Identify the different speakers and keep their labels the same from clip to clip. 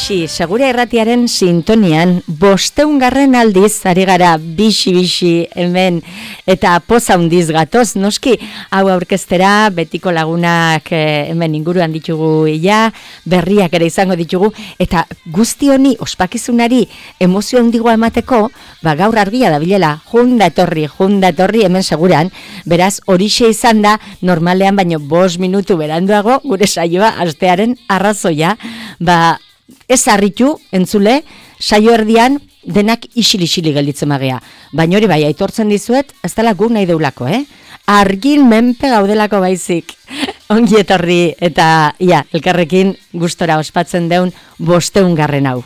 Speaker 1: Bixi, Segura Irratiaren sintonian, 500. aldiz, ari gara bixi hemen, eta poza handiz gatoz, noski, hau aurkeztera, betiko lagunak hemen inguruan ditugu ia, berriak ere izango ditugu, eta guzti honi, ospakizunari, emozio handigoa emateko, gaur argia da bilela, junda etorri hemen seguran, beraz, horixe izan da, normalean baino 5 minutu beranduago, gure saioa, astearen arrazoia, ez harritu, entzule, saio erdian denak isili gelditzen magea. Baina hori bai, aitortzen dizuet, ez dela guk nahi deulako, Argin menpe gaudelako baizik. Ongi etorri eta, elkarrekin gustora ospatzen deun 500. hau.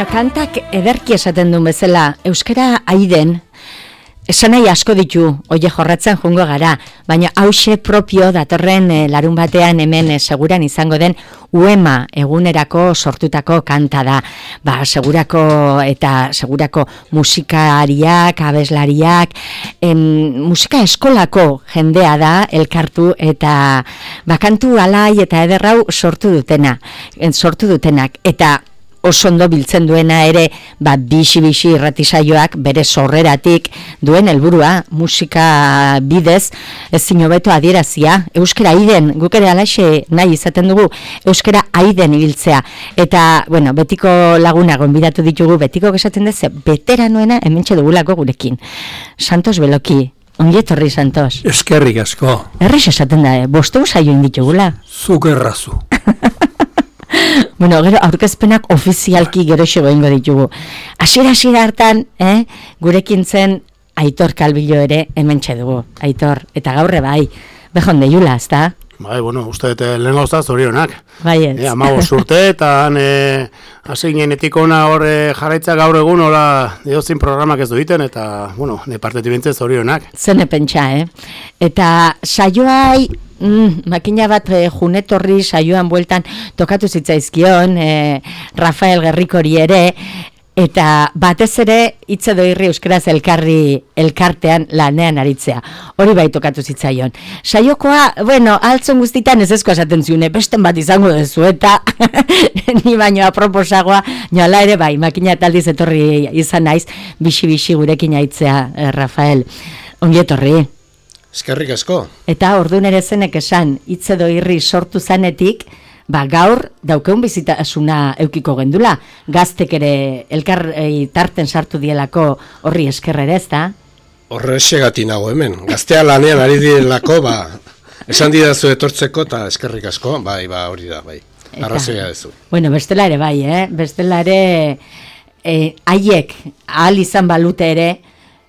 Speaker 1: Kantak ederki esaten duen bezala, euskara aiden, esan nahi asko ditu, oie jorratzen jungo gara, baina hause propio datorren larun batean hemen seguran izango den uema egunerako sortutako kanta da. Segurako musikariak, abeslariak, musika eskolako jendea da elkartu eta kantu alai eta ederrau sortu dutenak, eta oso ondo biltzen duena ere, bixi irratisaioak bere sorreratik duen helburua musika bidez, ezin hobeto adierazia, euskara aiden, guk ere alaxe nahi izaten dugu, euskara aiden ibiltzea, eta, betiko laguna gonbidatu ditugu, betiko esaten deze, beteranoena hementxe dugulako gurekin. Santos Beloki, ongi etorri, Santos.
Speaker 2: Eskerrik asko.
Speaker 1: Errex esaten da, 500 saio inditugula.
Speaker 2: Zuk errazu.
Speaker 1: Gero aurkezpenak ofizialki gero egingo ditugu. Hasiera hartan, gurekin zen Aitor Kalbillo ere hementxe dugu. Aitor, eta gaurre bai, behon deiula, ez da?
Speaker 2: Bai, uste lehen gauzta zorionak.
Speaker 1: Bai ez.
Speaker 2: 15 urte, eta hasi ginenetik ona hor jarraitza gaur egun, hola, diozin programak ez duiten, eta, ne partetik bintzen zorionak.
Speaker 1: Zene pentsa, Eta saioai, makina bat junetorri saioan bueltan tokatu zitzaizkion, Rafael Gerrikori ere, eta batez ere hitz edo irri euskaraz elkartean lanean aritzea. Hori bai tokatu zitzaion. Saiokoa, altzon guztitan ez esko esaten ziune, besten bat izango dezu, eta ni baino aproposagoa, nola ere bai, makina taldiz etorri izan naiz, bixi gurekin aitzea, Rafael. Ongi etorri.
Speaker 2: Eskerrik asko.
Speaker 1: Eta orduan ere zenek esan, hitz edo irri sortu zanetik, gaur daukeun bizitasuna eukiko gendula. Gaztek ere elkar tarten sartu dielako horri eskerrere, ez da?
Speaker 2: Horrexegati nago hemen. Gaztea lanean ari direlako, esan didazu etortzeko eta eskerrik asko, hori da, bai. Arrazoia dezu.
Speaker 1: Bestela ere bai, bestela ere haiek ahal izan balute ere,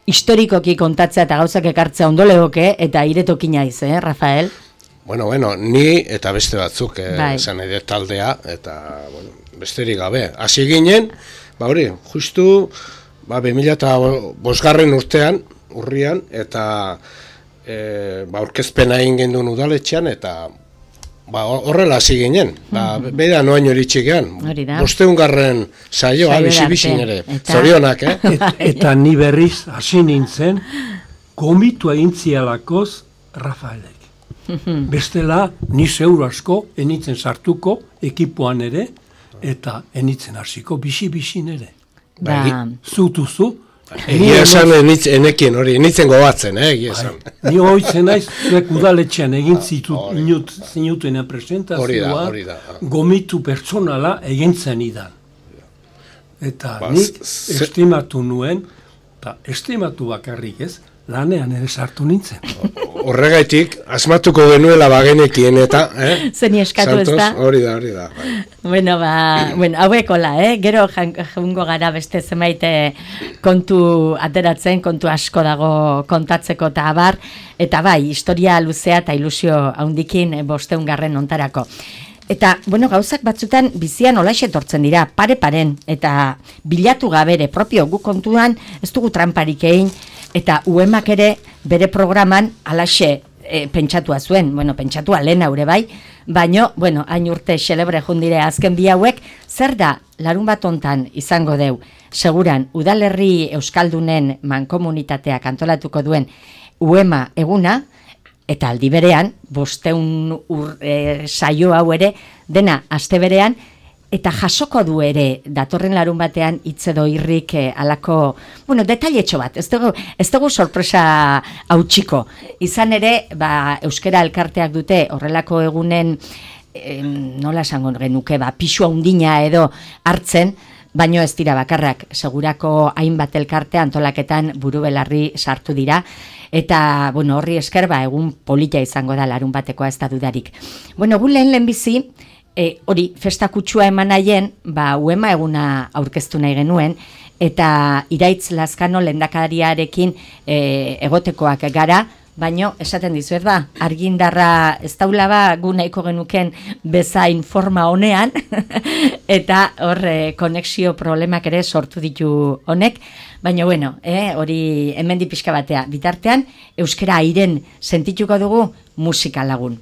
Speaker 1: historikoki kontatzea eta gauzak ekartzea ondo legoke, eta iretoki naiz, Rafael?
Speaker 2: Ni eta beste batzuk esan edo taldea, eta besterik gabe. Hasi ginen, justu 2005 urtean, urrian, eta aurkezpena egin genduen udaletxean, eta horrela hasi ginen, bera noain hori txikean, 500. saioa, bizi ere, zorionak,
Speaker 3: Eta ni berriz hasi nintzen, gomitu egin zialakoz Rafaelek. Bestela, ni zeur asko enitzen sartuko ekipoan ere, eta enitzen hasiko bixi-bixin ere. Zutuzu.
Speaker 2: Egia esan enekien hori, enitzen gobatzen, egia esan.
Speaker 3: Ni hoitzen naiz, zuek udaletxean egin zinutena presentazioa, gomitu pertsonala egin zen idan. Eta nik estimatu nuen, eta estimatu bakarrik ez, lanean ere sartu nintzen.
Speaker 2: Horregaitik, asmatuko genuela bagenekien eta,
Speaker 1: Zeni eskatu ez da?
Speaker 2: Hori da.
Speaker 1: Bueno, hauekola, gero jaungo gara beste zenbait kontu ateratzen, kontu asko dago kontatzeko eta abar, eta bai, historia luzea eta ilusio haundikin 500. ontarako. Eta, gauzak batzutan bizian olaxe etortzen dira, pare-paren, eta bilatu gabere, propio gu kontuan, ez dugu tramparik egin, eta UEMak ere bere programan alaxe pentsatua zuen, pentsatua lehen haure bai, baino, hain urte xelebre jundire azken bi hauek, zer da larun bat hontan izango deu, seguran, udalerri euskaldunen mankomunitateak antolatuko duen UEMA eguna, eta aldi berean, 500 saio hau ere, dena aste berean, eta jasoko du ere datorren larun batean hitz edo irrik alako, detailetxo bat, ez dugu sorpresa hautsiko. Izan ere, euskara elkarteak dute horrelako egunen, nola esango genuke, pisu handina edo hartzen, baino ez dira bakarrak, segurako hainbat elkarte antolaketan buru belarri sartu dira, eta horri esker egun polita izango da larun batekoa ez da dudarik. Gu lehen bizi, hori festa kutsua eman nahien, UEMA eguna aurkeztu nahi genuen, eta Iraitz Lazkano lehendakariarekin egotekoak gara, baino esaten dizuet argindarra ez daula gu nahiko genuken bezain forma honean, eta hor konexio problemak ere sortu ditu honek, baina hori hemendi pixka batea, bitartean euskara airen sentituko dugu musika lagun.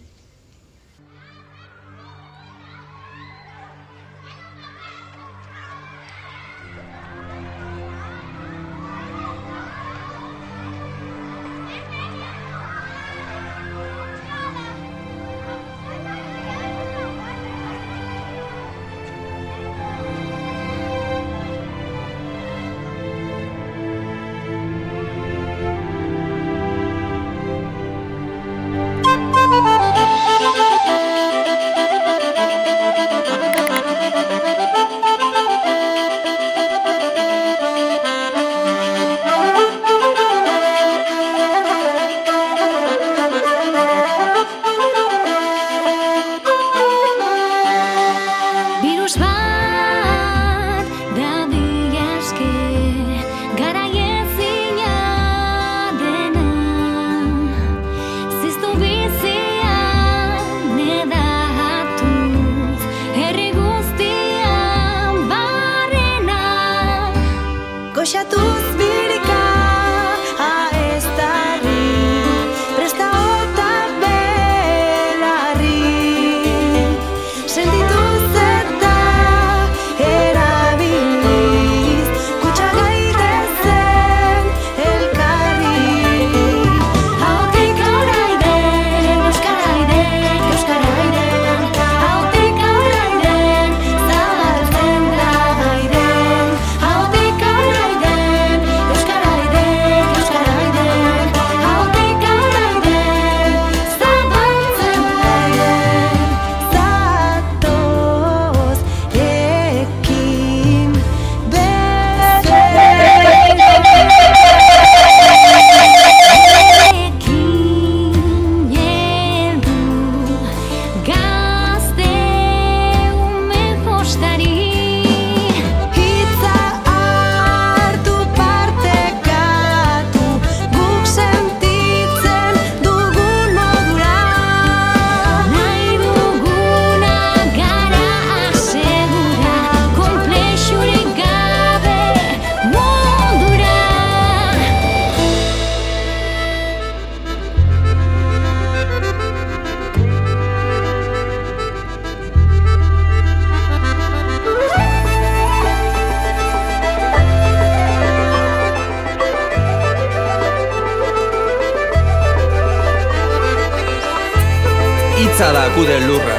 Speaker 4: Anitza da gude lurra,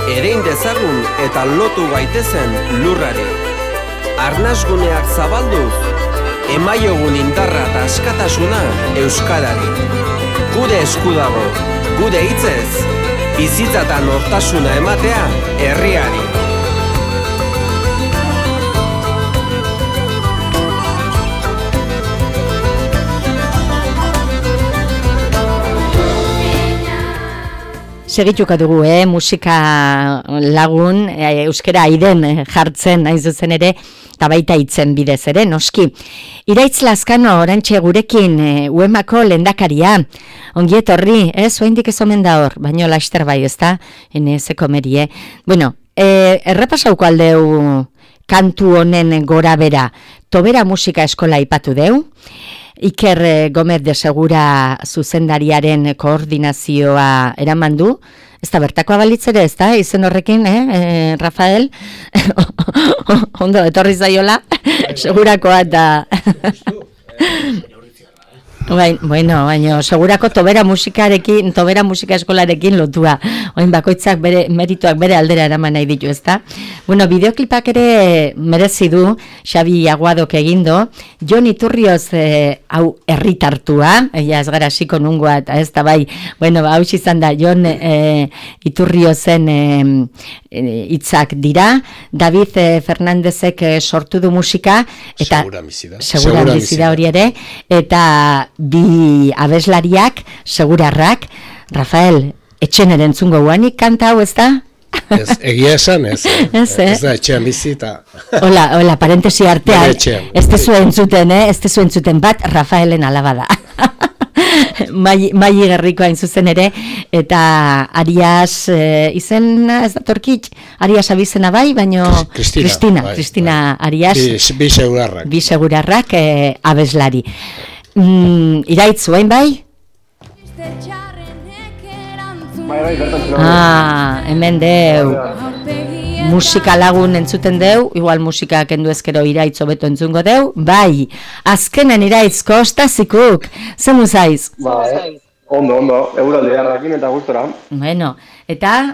Speaker 4: erein dezagun eta lotu gaitezen lurrari. Arnasguneak zabalduz, emaiogun indarra eta askatasuna euskarari. Gure esku dago, gure hitzez, bizitzatan nortasuna ematea herriari.
Speaker 1: Segituko dugu, musika lagun, euskera aiden jartzen, hain zuzen ere, eta baita hitzen bidez ere, noski. Iraitz Lazkano, orantxe gurekin, UEMako lehendakaria, ongi etorri, zuaindik ez omen da hor, baino laster bai, ezta, enezeko merie. Bueno, errepasauko aldeu kantu honen gora bera, Tobera musika eskola ipatu deu, Iker Gomez de Segura zuzendariaren koordinazioa eraman du. Ez da bertakoa balitzere, ez da, izen horrekin, Rafael? Ondo, etorri zaiola, segurakoa eta... Bueno, baina segurako Tobera musika eskolarekin lotua. Oin bakoitzak bere merituak bere aldera eraman nahi ditu, ezta? Bueno, bideoklipak ere merezi du Xabi Aguadok egindo. Jon Iturrioz hau herritartua, ez gara hasiko nungoa eta ez da bai. Bueno, hau izan da Jon Iturriozen hitzak dira. David Fernandezek sortu du musika eta Segura bizida hori ere eta bi abeslariak, segurarrak, Rafael, etxen erentzungo guanik kanta hau, ez da?
Speaker 2: Egia esan, ez da etxean bizita.
Speaker 1: Hola, parentesi artean, ez tezu entzuten bat, Rafaelen alaba da. Mai Gerriko hain zuzen ere, eta Arias, izena ez da torkit, Arias abizena bai, baino Kristina Arias.
Speaker 2: Bi segurarrak.
Speaker 1: Bi segurarrak abeslari. Iraitz, oain bai? Hemen deu. Musika lagun entzuten deu, igual musika kendu ezkero Iraitz hobeto entzungo deu, bai. Azkenen Iraitz, kostazikuk, zemu zaiz?
Speaker 5: Ondo, euralde jarrakin eta gustora.
Speaker 1: Bueno, eta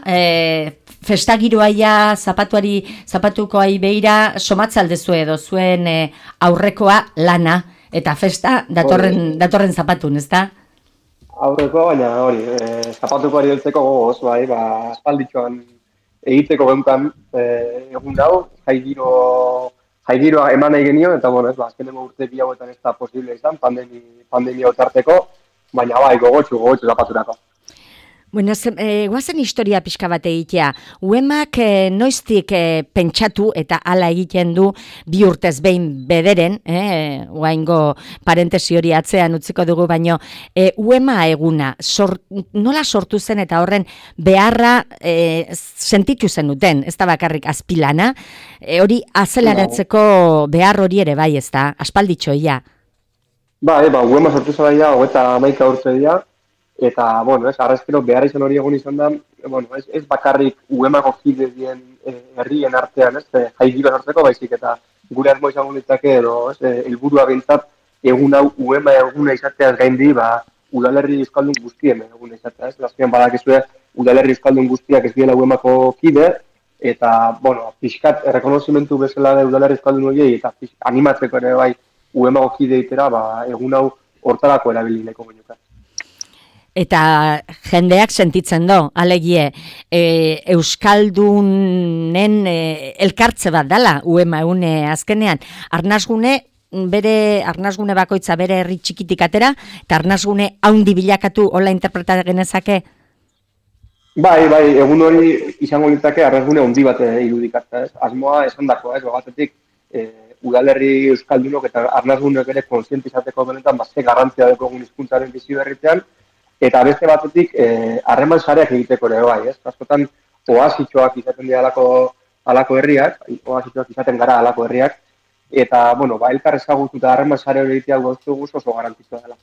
Speaker 1: festagiroaia zapatukoai beira somatzaldezue edo zuen aurrekoa lana. Eta festa datorren zapatun, ez da?
Speaker 5: Aurreko, baina hori, zapatuko ari deltzeko gogoz, bai, aspalditxoan egiteko geuntan egun dau, jaigiroa eman nahi genio, eta bueno, azkenengo urte bi hauetan ez da posible izan, pandemia otarteko, baina bai, gogotxu zapaturako.
Speaker 1: Bueno, guazen historia pixka bat egitea. UEMak noiztik pentsatu eta hala egiten du bi urtez behin bederen, oaingo parentesi hori atzean utziko dugu, baino UEMA eguna, nola sortu zen eta horren beharra sentitu zen duten, ez da bakarrik azpilana, hori azeleratzeko behar hori ere bai, ez da, aspalditxoia.
Speaker 5: UEMA sortu zela eta 11 urte dira, eta, bueno, arrezkero behar izan hori egon izan da, bueno, ez bakarrik UEMako kide dien herrien artean, jaigiro sortzeko baizik, eta gure asmo izango ditzake, helburua bintzat, egun hau UEMA eguna izateaz gaindi, udalerri euskaldun guztien eguna izatea, Azkenean badakizue, udalerri euskaldun guztiak ez diela UEMako kide, eta, bueno, pixkat errekonozimentu bezala da udalerri euskaldun horiei, eta animatzeko ere bai UEMako kide itera, egun hau hortarako erabilineko genuka.
Speaker 1: Eta jendeak sentitzen do, alegie, Euskaldunen elkartze bat dala, UEMA une azkenean, arnasgune bakoitza bere herri txikitik atera, eta arnasgune haundi bilakatu hola interpretar genezake?
Speaker 5: Bai, egun hori izango litzake arnasgune haundi bat irudikatzea, asmoa esan dako, batetik udalerri Euskaldunok eta arnasguneok ere kontzientizateko benetan, ze garrantzia deko hizkuntzaren bizi berritzean, eta beste batetik harreman sareak egiteko ere bai, askotan oasitxoak izaten dira alako herriak, oasitxoak izaten gara alako herriak, eta, bueno, elkar ezagutu eta harreman sare hori egitea oso garrantzitsua dela.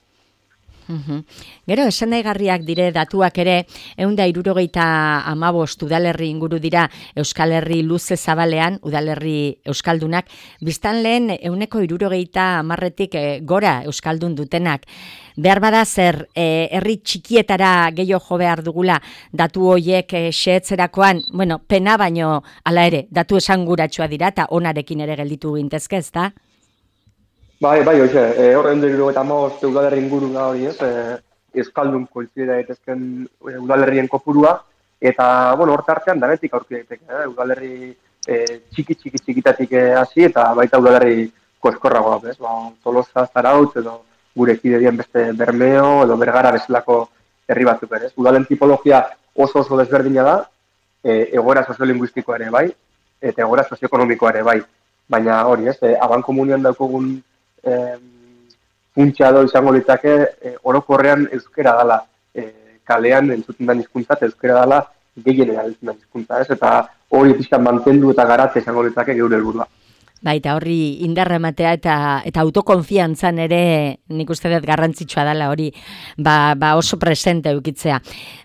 Speaker 1: Gero, esan nahigarriak dire datuak ere, 175 udalerri inguru dira Euskal Herri luze zabalean, udalerri euskaldunak, biztanleen 170-tik gora euskaldun dutenak. Behar bada zer, herri txikietara gehiago jo behar dugula datu hoiek xehetzerakoan, bueno, pena baino hala ere, datu esanguratsua dira eta onarekin ere gelditu gintezke, ezta?
Speaker 5: Bai, hoxe, horren dugu eta udalerri inguru da hori, euskaldun koizide daitezken udalerrien kopurua, eta, bueno, hor tartean danetik aurki daiteke, udalerri txikitatik hasi eta baita udalerri koskorragoa, bez? Tolosa, Zarautz edo gure kidedien beste Bermeo edo Bergara bezalako herri batzuk ere. Udalen tipologia oso desberdina da, egoera soziolinguistikoa ere bai, eta egoera sozioekonomikoa ere bai. Baina hori, abankomunian daukogun funtsa edo izango litzake orokorrean euskera dela, kalean entzuten den hizkuntza eta euskera dela gehien erabiltzen den hizkuntza, eta hori pixkan mantendu eta garatze izango litzake geure helburua.
Speaker 1: Baita horri indarra ematea eta autokonfiantzan ere nik uste dut garrantzitsua dela hori oso presente eukitzea.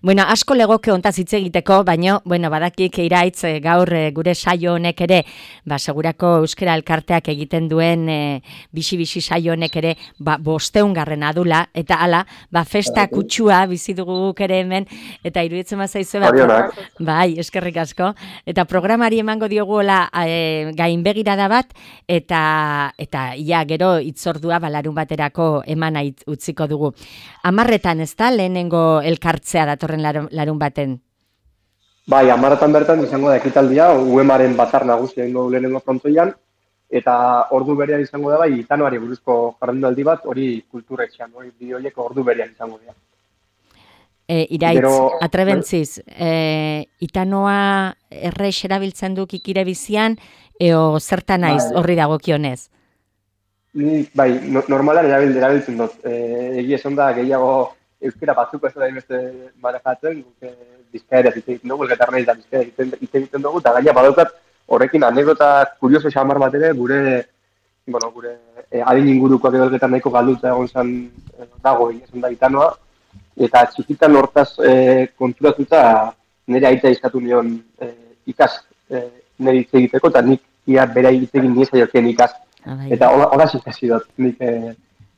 Speaker 1: Bueno, asko legoke hontaz hitz egiteko, baina badakik iraitz gaur gure saio honek ere, segurako euskera elkarteak egiten duen bixi saio honek ere 500. adula, eta hala, festa kutsua bizi dugu guk ere hemen, eta iruditzen bazaizu bai, eskerrik asko, eta programari emango dioguela gainbegirada bat, eta ia gero itzordua larun baterako emana utziko dugu. 10 ez da lehenengo elkartzea datorren larun baten?
Speaker 5: Bai, 10 bertan izango da ekitaldia, UEMaren batzar nagusia egingo lehenengo frontoian, eta ordu berean izango da bai, Itanoari buruzko jardunaldi bat, hori kulturetxean, hori bideoiek ordu berean izango dira.
Speaker 1: Iraitz, atrebentziz, Itanoa errex erabiltzen duk ikire bizian, eo zertan naiz horri dagokionez?
Speaker 5: Bai, normalan erabiltzen dut. Egia esan da gehiago euskera batzuko ez da beste manejatzen, bizkaera egiten dugu, elgetarra da bizkaera egiten dugu, eta gaina badaukat horrekin anekdota kurioso xamar bat ere, gure adin ingurukoak edo elgetar nahiko galdutza egon zen dago, egia esan da Itanoa, eta txikitan hortaz konturatuta nire aita izkatu nion ikas nire hitz egiteko, eta nik ia bera hitz egin nire jokien ikas. Eta horaz ikasi dut, nik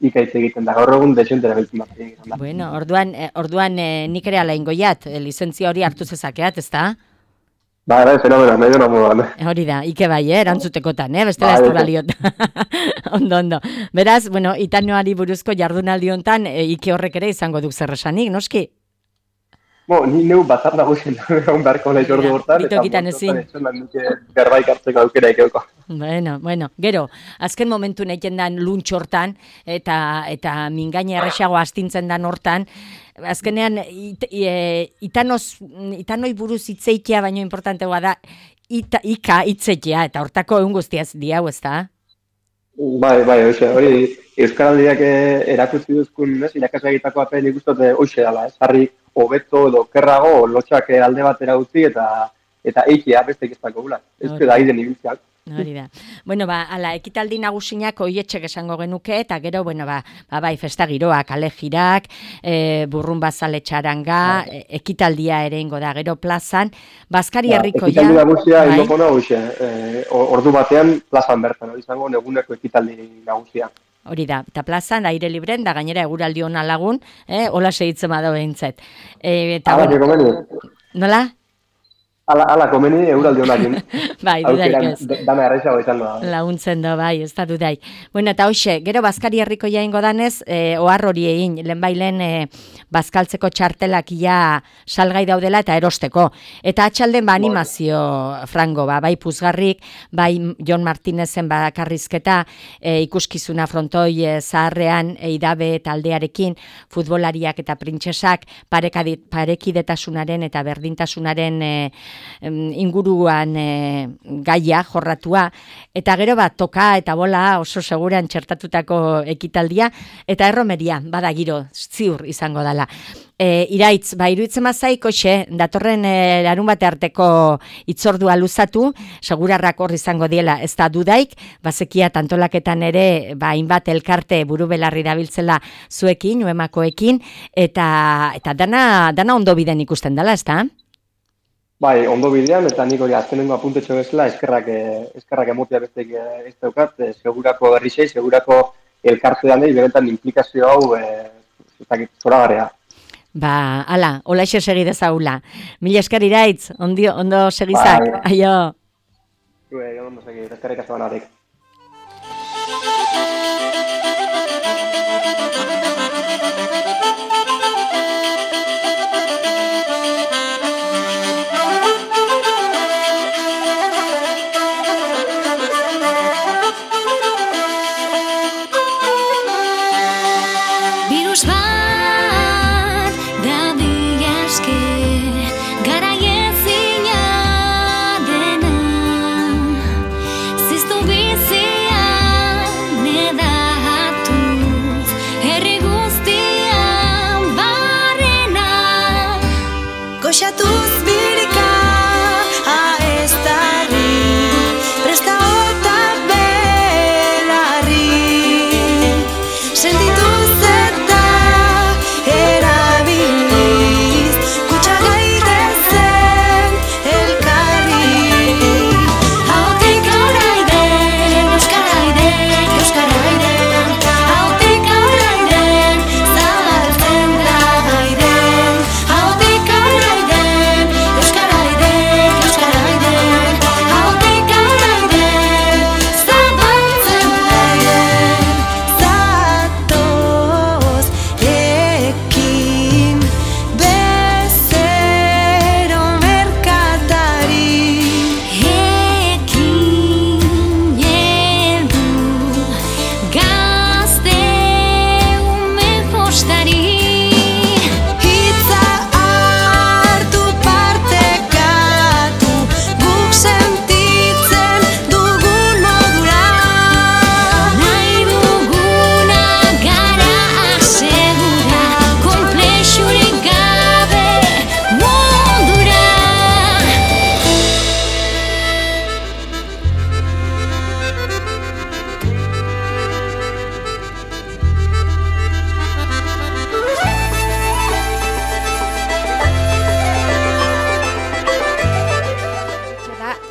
Speaker 5: ikaitz egiten da, gaur egun desentera beltzen bat egin.
Speaker 1: Bueno, orduan nik ere ala ingoiat, lizentzia hori hartu zezakeat, ez da?
Speaker 5: Bai, fenomeno, medio namudan.
Speaker 1: Hori da, ike bai, erantzutekotan, bestela ez du baliot. Ondo. Beraz, Itanoari buruzko jardunaldi hontan, ike horrek ere izango duk zer esanik, noski?
Speaker 5: Ni neu batzar nagusien egon beharko nahi ordu hortan, eta berbaik hartzeko aukera ikeuko.
Speaker 1: Bueno, gero, azken momentu nahiten dan luntx hortan, eta mingaina erresago astintzen dan hortan, azkenean Itanoi buruz hitzeitea baino importantegoa da, hitzeitea, eta hortako egun guztiaz diau, ez da?
Speaker 5: Bai, hori Euskaraldiak erakutsi duzkun, irakasle egitako apen ikustote hoxe dela, harri hobeto edo kerrago lotxak alde batera utzi eta eikia beste ikestako gula. Ez da aiden ibiltzeak.
Speaker 1: Hori da. Ala, ekitaldi nagusinak oietxek esango genuke, eta gero, bai, festa giroak, kale jirak, burrun bazale txaranga, ekitaldia ere ingo da, gero plazan, Baskari herrikoia.
Speaker 5: Ekitaldi nagusia ingoko nagusia, ordu batean plazan bertan, hori izango neguneko ekitaldi nagusia.
Speaker 1: Hori da, eta plazan, aire libren, da gainera eguraldi hona lagun, hola segitzen bada behintzet. Nola?
Speaker 5: Ala komeni euraldi honakin.
Speaker 1: Bai, dudarik ez.
Speaker 5: Dana erraizago izan da.
Speaker 1: Launtzen da, bai, ez da dudai. Eta hoxe, gero Baskari herriko jaingo danez, ohar hori egin, lehen bazkaltzeko txartelak ia salgai daudela eta erosteko. Eta atxalden animazio frango, bai puzgarrik, bai Jon Martinezen bakarrizketa, ikuskizuna frontoi zaharrean, idabe taldearekin, futbolariak eta printzesak, parekidetasunaren eta berdintasunaren inguruan gaia jorratua, eta gero toka eta bola oso seguran txertatutako ekitaldia, eta erromeria, bada giro, ziur izango dela. Iraitz, iruditzen mazaiko datorren larun bate arteko itzordua luzatu, segurarrak hor izango diela, ez da dudaik, bazekia tantolaketan ere, hainbat elkarte buru belarri dabiltzela zuekin, uemakoekin, eta dana ondo biden ikusten dela, ez da?
Speaker 5: Bai, ondo bidean, eta nik hori azkenengo apuntetxo bezala, eskerrak emotia besteik ez daukat, segurako berrizei, segurako elkartean berentan implikazio hau, zoragarria.
Speaker 1: Ala, olaxe segi dezagula. Mila esker Iraitz, ondo segizak, aio.
Speaker 5: Ondo segi, eskerrik asko banarik.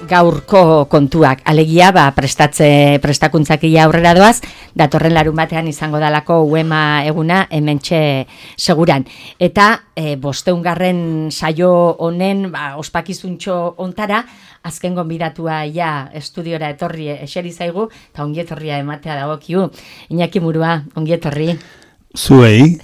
Speaker 1: Gaurko kontuak, alegia, prestakuntzak aurrera doaz, datorren larun batean izango dalako uema eguna hementxe seguran. Eta 500. saio honen ospakizuntxo ontara, azken gonbidatua estudiora etorri eseri zaigu, eta ongietorria ematea dagokiu. Iñaki Murua, ongietorri.
Speaker 6: Zuei,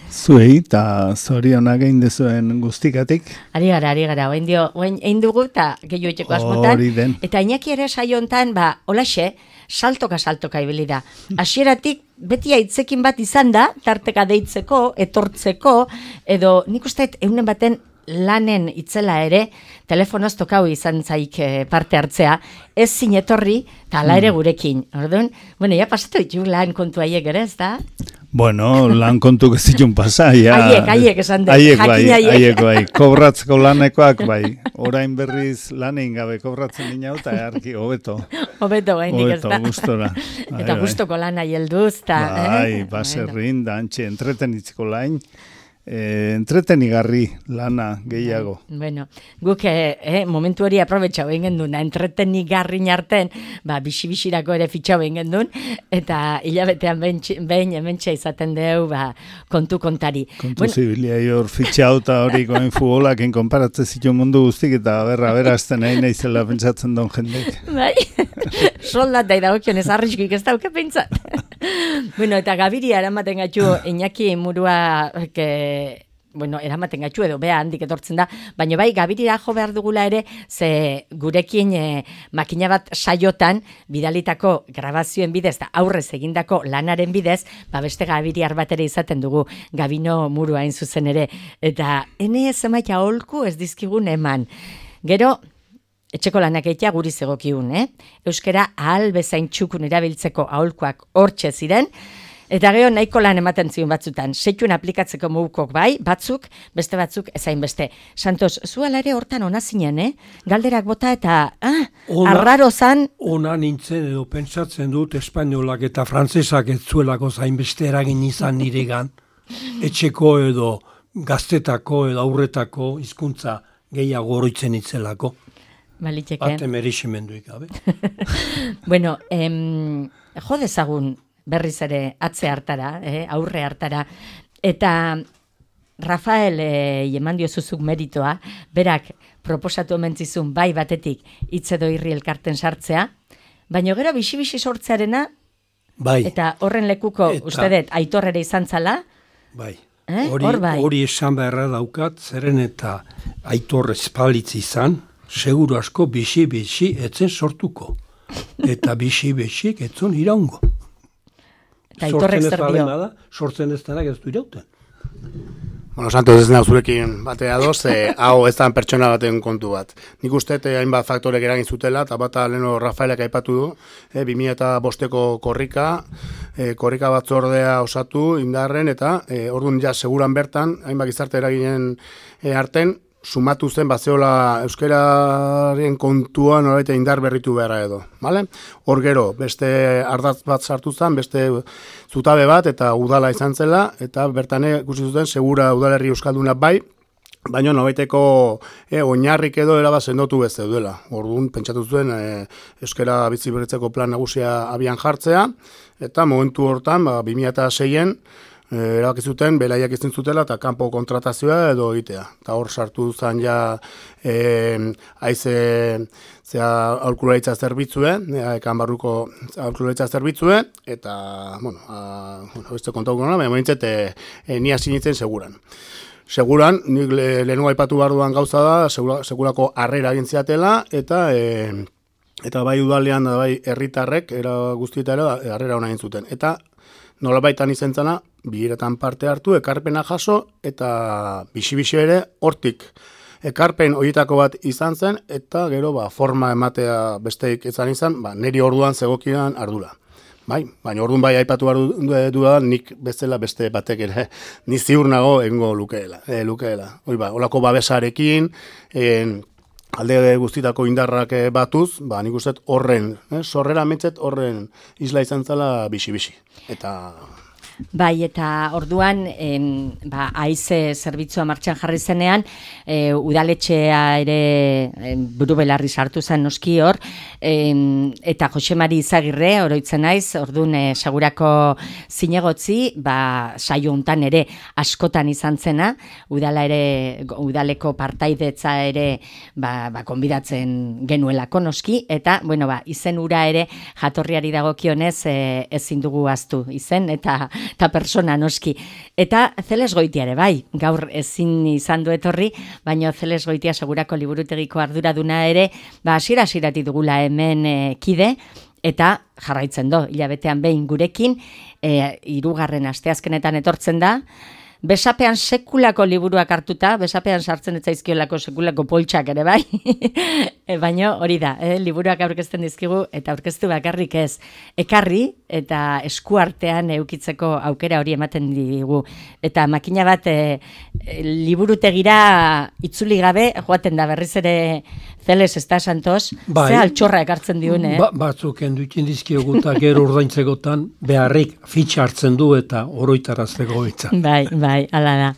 Speaker 6: eta zorionak egin dezuen guztikatik.
Speaker 1: Ari gara, oain dugu eta gehiu etxeko asmotan. Eta Iñaki ere saio hontan, holaxe, saltoka ibili da. Hasieratik beti aitzekin bat izan da, tarteka deitzeko, etortzeko, edo nik usteet eunen baten lanen itzela ere, telefonoz tokau izan zaik parte hartzea, ez zinetorri, eta ala ere gurekin. Orduan, pasatu ditu lan kontu haiek ere, ez da?
Speaker 6: Bueno, lan kontu gezitun pasa,
Speaker 1: Haiek esan dut.
Speaker 6: Haiek bai, kobratzeko lanekoak bai. Orain berriz lanein gabe kobratzen dina eta earki, hobeto.
Speaker 1: Hobeto gainik ez da.
Speaker 6: Hobeto, gustora.
Speaker 1: Eta gustoko lana helduz, eta...
Speaker 6: Bai, baserrin, da antxe, entretenitzeko lain. Entretenigarri lana gehiago.
Speaker 1: Bueno, guk momentu hori aprobetxau egin duen, entretenigarri narten, bisi-bisirako ere fitxau egin duen, eta hilabetean behin hementxe izaten deu kontu kontari.
Speaker 6: Kontu zibilia hor fitxau eta hori goen futbolakin konparatze zitu mundu guztik, eta berazten egin izela pentsatzen duen jendek.
Speaker 1: Bai, soldatai dagokion ez arriskik ez dauke pentsat. Bueno, eta Gabiria eramaten gaitu Iñaki Murua eramaten gaitu edo bea handik etortzen da, baina bai Gabirira jo behar dugula ere, ze gurekin makina bat saiotan bidalitako grabazioen bidez da aurrez egindako lanaren bidez, beste Gabiriar bat ere izaten dugu, Gabino Murua hain zuzen ere, eta ene ez emaita holku ez dizkigun eman. Gero, etxeko lanak egitea guri zegokiun, Euskara ahal bezain txukun erabiltzeko aholkuak hortxe ziren, eta gero nahiko lan ematen zion batzutan, seituen aplikatzeko mugukok bai, batzuk, beste batzuk, ezain beste. Santos, zu alare hortan ona zinen, galderak bota eta, arraro zan.
Speaker 3: Ona nintzen edo pentsatzen dut espainolak eta frantzesak ez zuelako zain beste eragin izan niregan, etxeko edo gaztetako edo aurretako hizkuntza gehiago oroitzen itzelako.
Speaker 1: Baliteke.
Speaker 3: Bate meriximenduik gabe.
Speaker 1: Bueno, jo dezagun berriz ere atze hartara, aurre hartara, eta Rafael eman diozuzuk meritoa, berak proposatu omentzizun bai batetik hitz edo irri elkarten sartzea, baina gero bixi-bixi sortzearena,
Speaker 3: bai.
Speaker 1: Eta horren lekuko, uste dut, Aitor ere izan zala,
Speaker 3: bai.
Speaker 1: Bai.
Speaker 3: Hori esan beharra daukat, zeren eta Aitor espalitz izan, seguru asko bixi-bixi etzen sortuko. Eta bixi-bixik etzon iraungo. Sortzen ez denak ez du irauten.
Speaker 7: Bueno, Santos, ez nahi zurekin batea doz, hau ez da pertsona baten kontu bat. Nik uste hainbat faktorek eragin zutela, eta bata leheno Rafaelek aipatu du, 2005ko korrika batzordea osatu indarren, eta orduan ja seguran bertan, hainbat gizarte eraginen arten, sumatu zen bazeola euskararen kontuan noraita indar berritu beharra edo. Vale? Hor gero, beste ardatz bat sartu zen, beste zutabe bat, eta udala izan zela, eta bertan ikusi zuten segura udalerri euskalduna bai, baina nobaiteko oinarrik edo erabaz sendotu bez zeudela. Orduan, pentsatu zuen euskara bizi berritzeko plan nagusia abian jartzea, eta momentu hortan, 2006-en, erabaki zuten, belaiak izin zutela, eta kanpo kontratazioa edo egitea. Eta hor sartu zen ja haize aholkularitza zerbitzue, ekan barruko aholkularitza zerbitzue, eta, beste kontauko nola, baina mointzet, ni hasi nintzen seguran. Seguran, nik lehenua aipatu barduan gauza da, segurako harrera egin ziatela, eta bai udalean, da bai herritarrek, era guztieta ere, harrera hona egin zuten. Eta nolabaitan izen zena, bileretan parte hartu, ekarpena jaso, eta bixi-bixi ere hortik. Ekarpen horietako bat izan zen, eta gero forma ematea besteik izan, niri orduan zegokidan ardura. Bai, baina orduan bai aipatu duda, nik bezala beste batek ere, ni ziur nago egingo lukeela. Olako babesarekin, alde guztitako indarrak batuz, nik uste horren, sorrera metzet horren isla izan zela bixi-bixi.
Speaker 1: Bai, eta orduan, haize zerbitzua martxan jarri zenean, udaletxea ere buru belarri sartu zen noski hor, eta Jose Mari Izagirre, oroitzen naiz, orduan segurako zinegotzi, saio hontan ere askotan izan zena, udaleko partaidetza ere konbidatzen genuelako noski, eta, izen ura ere jatorriari dagokionez ezin dugu ahaztu izen, eta persona noski. Eta Zeles Goitia ere bai, gaur ezin izan du etorri, baina Zeles Goitia segurako liburutegiko arduraduna ere, hasiera-hasieratik dugula hemen kide, eta jarraitzen do, hilabetean behin gurekin, 3. asteazkenetan etortzen da, besapean sekulako liburuak hartuta, besapean sartzen ez zaizkiolako sekulako poltsak ere bai, baina hori da, liburuak aurkezten dizkigu, eta aurkeztu bakarrik ez, ekarri eta eskuartean eukitzeko aukera hori ematen digu. Eta makina bat liburutegira itzuli gabe, joaten da berriz ere Zeles, ez da, Santos? Ze altxorra ekartzen diun,
Speaker 3: Batzuk enduitzen dizkiogu eta gero ordaintzekotan beharrik fitxa hartzen du eta oroitarazteko hitza.
Speaker 1: Bai, ala da.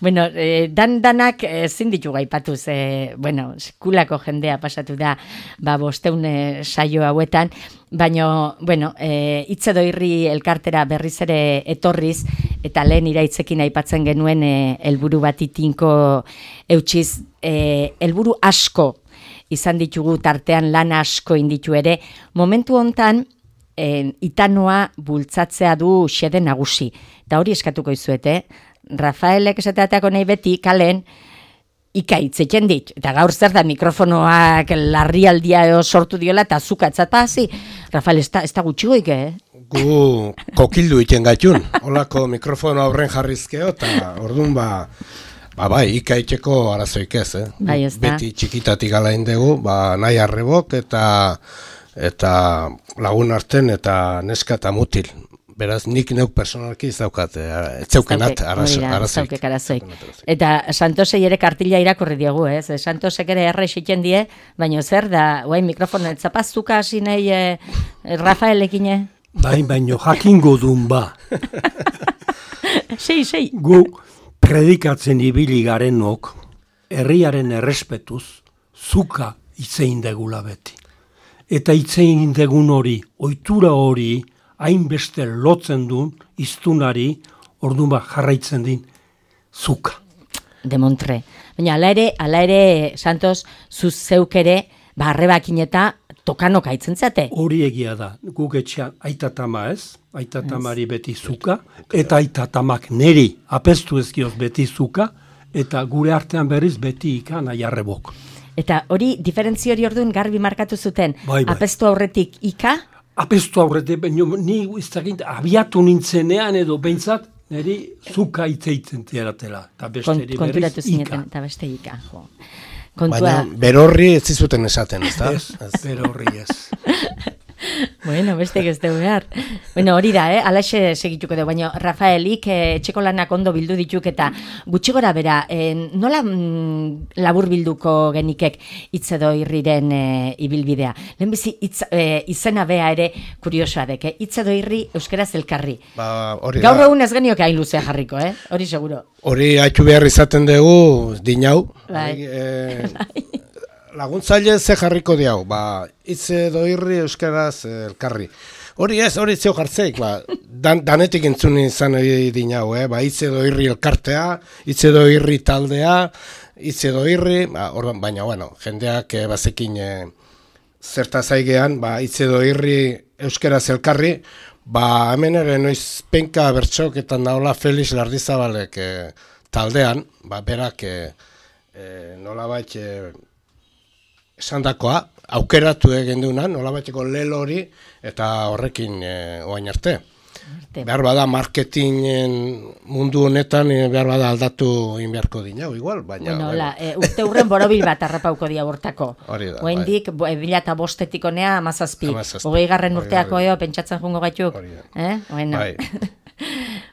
Speaker 1: Bueno, danak ezin ditu gaipatuz, sekulako jendea pasatu da, 500 saio hauetan, baina, hitz edo irri elkartera berriz ere etorriz, eta lehen iraitzekin aipatzen genuen helburu bat itinko eutxiz, helburu asko izan ditugu tartean lan asko inditu ere, momentu hontan itanoa bultzatzea du xede nagusi. Eta hori eskatuko izuete, Rafaelek esateatako nahi beti kalen ikaitzeken dit. Eta gaur zer da mikrofonoak larrialdia sortu diola eta zukatzat hasi. Rafael, ez da gutxigoik,
Speaker 2: Gu kokildu iken gaitun. Olako mikrofono aurren jarrizkeo eta orduan Bai, ikaiteko arazoik ez,
Speaker 1: Bai, ez da.
Speaker 2: Beti txikitatik alain dugu, nahi arrebok eta lagun arten eta neska eta mutil. Beraz, nik neuk personalki ez daukat, ez zeukenat arazoik.
Speaker 1: Eta Santosei ere kartila irakurri diogu, ez? Santosek ere errexiten die, baina zer da, guain mikrofonen zapaztuka hasi nahi Rafaelekin?
Speaker 3: Bai, baino jakingo dun ba.
Speaker 1: Sei.
Speaker 3: Gu predikatzen ibili garenok, herriaren errespetuz, zuka itzein degula beti. Eta itzein degun hori, ohitura hori, hainbeste lotzen duen, iztunari, orduan jarraitzen din, zuka.
Speaker 1: Demontre. Baina, ala ere, Santos, zuz zeuk ere, arrebakin eta tokanoka itzen zate.
Speaker 3: Hori egia da, guk etxean aitatama ez, aitatamari beti zuka, eta aitatamak neri apestu ezkioz beti zuka, eta gure artean berriz beti ika nahi arrebok.
Speaker 1: Eta hori, diferentzio hori orduan garbi markatu zuten,
Speaker 3: bai.
Speaker 1: Apestu aurretik ika?
Speaker 3: Apestu aurretik, ni iztakint, abiatu nintzenean edo behintzat, niri zuka itzeitzen tiaratela, eta besteri berriz ika.
Speaker 1: Eta beste ika, jo.
Speaker 2: Baina berorri ez zizuten esaten, ez da?
Speaker 3: Ez, berorri ez.
Speaker 1: Bueno, beste ez dugu behar. Bueno, hori da, alaxe segituko dugu, baina Rafaelik etxeko lanak ondo bildu dituk eta gutxi gora bera, nola labur bilduko genikek hitz edo irriren ibilbidea? Lehenbizi izena bea ere kuriosoa dek, hitz edo irri euskaraz elkarri. Gaur egun ez genioke hain luzea jarriko, hori seguro.
Speaker 2: Hori haitu behar izaten dugu, dinau. Laguntzaile ze jarriko diau, hitz edo irri euskaraz elkarri. Hori zeo jartzeik, danetik entzun izan dinau, hitz edo irri elkartea, hitz edo irri taldea, hitz edo irri, baina, jendeak bazekin zertaz aigean, hitz edo irri euskaraz elkarri, hemen ere noiz penka bertxoketan daola Felix Lardizabalek taldean, berak nolabait esandakoa, aukeratu egin duena, nolabaiteko lelo hori, eta horrekin oain arte. Behar bada marketingen mundu honetan, behar bada aldatu inbeharko dinau, igual, baina...
Speaker 1: Urte hurren borobil bat arrapauko dia bortako.
Speaker 2: Hori da,
Speaker 1: Oendik, 2005 onea, 17. 20. urteako pentsatzen jungo gaituk.
Speaker 2: Bai.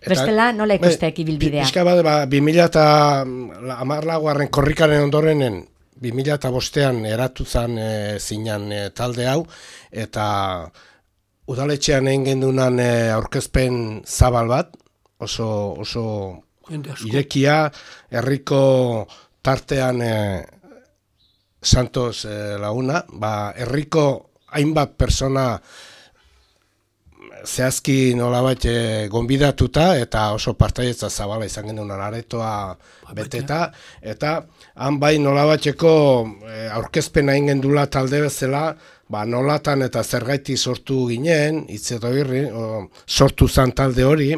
Speaker 1: Bestela, nola ikusteak ibilbidea?
Speaker 2: Pizka bat, 2014 korrikaren ondorenen, 2005an eratu zen zinan talde hau, eta udaletxean egin gendunan aurkezpen zabal bat, oso irekia, herriko tartean Santos laguna, herriko hainbat persona zehazki nolabait gonbidatuta eta oso partaietza zabala izan genuen aretoa beteta, eta han bai nolabaiteko aurkezpena egin gendula talde bezala, nolatan eta zergaiti sortu ginen, hitz edo irri, sortu zan talde hori,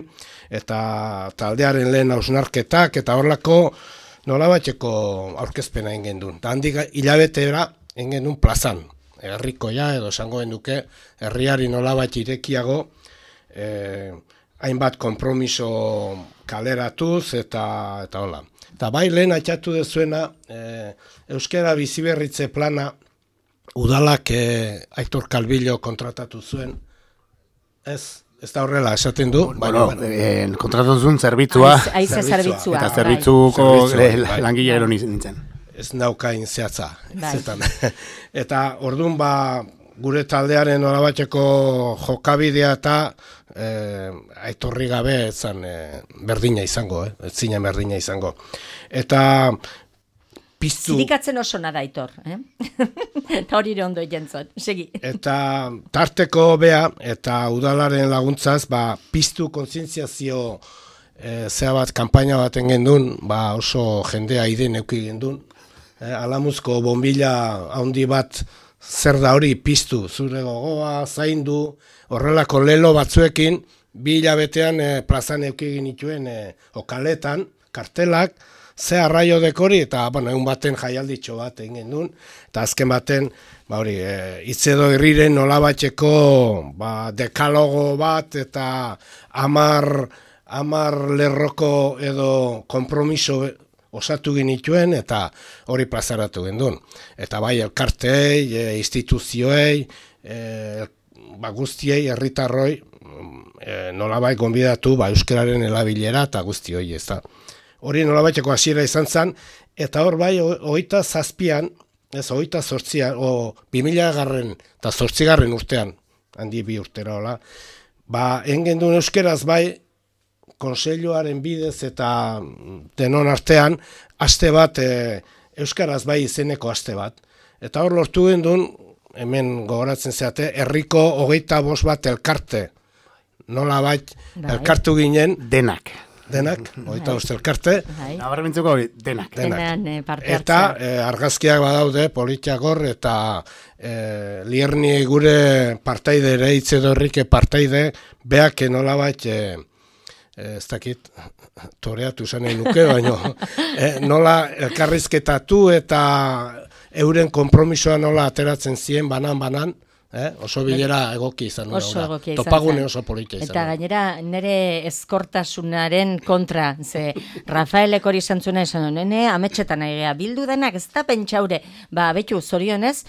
Speaker 2: eta taldearen lehen hausnarketak, eta horlako nolabaiteko aurkezpena egin gendun. Eta handik hilabetera egin gendun plazan, herrikoia edo esango genduke, herriari nolabait irekiago, hainbat konpromiso kaleratuz eta hola. Eta bai lehen atxatu dezuena, euskara biziberritze plana udalak Aitor Kalbillo kontratatu zuen, ez da horrela esaten du.
Speaker 7: Kontratatu zuen zerbitzua,
Speaker 1: zerbitzua.
Speaker 7: Eta zerbitzuko langile gero nintzen.
Speaker 2: Ez naukain zehatza. Eta orduan gure taldearen nolabaiteko jokabidea eta aitorri gabe ezan berdina izango, ez zinen berdina izango. Eta piztu...
Speaker 1: Zirikatzen oso nada Aitor, eta hori ondo jentzot, segi.
Speaker 2: Eta tarteko bea eta udalaren laguntzaz, piztu kontzientziazio zea bat, kanpaina baten gendun, oso jendea iden euki gendun. Alamuzko bombila handi bat zer da hori piztu, zure gogoa, zaindu, horrelako lelo batzuekin, 2 hilabetean plazan euki genituen okaletan, kartelak, ze arraio dekori, eta egun baten jaialditxo bat egin gendun, eta azken baten, hitz edo irriren nolabaiteko dekalogo bat, eta 10 lerroko edo konpromiso osatu ginituen eta hori plazaratu gendun. Eta bai elkarteei, instituzioei, guztiei, herritarroi, nolabait gonbidatu euskararen erabilera eta guzti hori ez da. Hori nolabaiteko hasiera izan zen, eta hor bai, 27an, ez 28an, 2000 eta 8. urtean, handi 2 urtera hola, engen duen euskeraz bai, konseiluaren bidez eta denon artean, aste bat, euskaraz bai izeneko aste bat. Eta hor lortu gendun, hemen gogoratzen zeate, herriko 25 bat elkarte, nolabait elkartu ginen.
Speaker 7: Denak,
Speaker 2: 25 elkarte.
Speaker 7: Nabarmentzeko hori, denak.
Speaker 2: Eta argazkiak badaude, Politiagor eta Lierni gure partaide ere, Itzedorrike partaide, beak nolabait, ez dakit, toreatu zanen nuke, baina nola elkarrizketatu eta euren konpromisoa nola ateratzen ziren banan, oso bilera egoki izan.
Speaker 1: Oso egoki izan.
Speaker 2: Topagune oso polita izan.
Speaker 1: Eta gainera, nire ezkortasunaren kontra, ze Rafaelek hori izan zuena esan, nene ametxetan aigea bildu denak, ez da pentsaure, betu zorionez,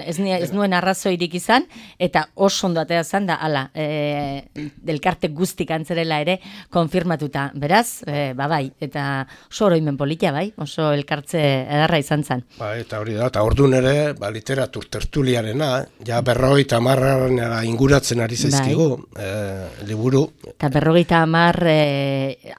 Speaker 1: ez nuen arrazoirik izan, eta oso ondo atea zan da, ala, delkarte guztik antzerela ere konfirmatuta. Beraz, bai, eta oso oroimen polita, bai, oso elkartze edarra izan zen.
Speaker 2: Eta hori da, eta orduan ere, literatur tertuliarena, ja 50 inguratzen ari zaizkigu, liburu.
Speaker 1: Eta 50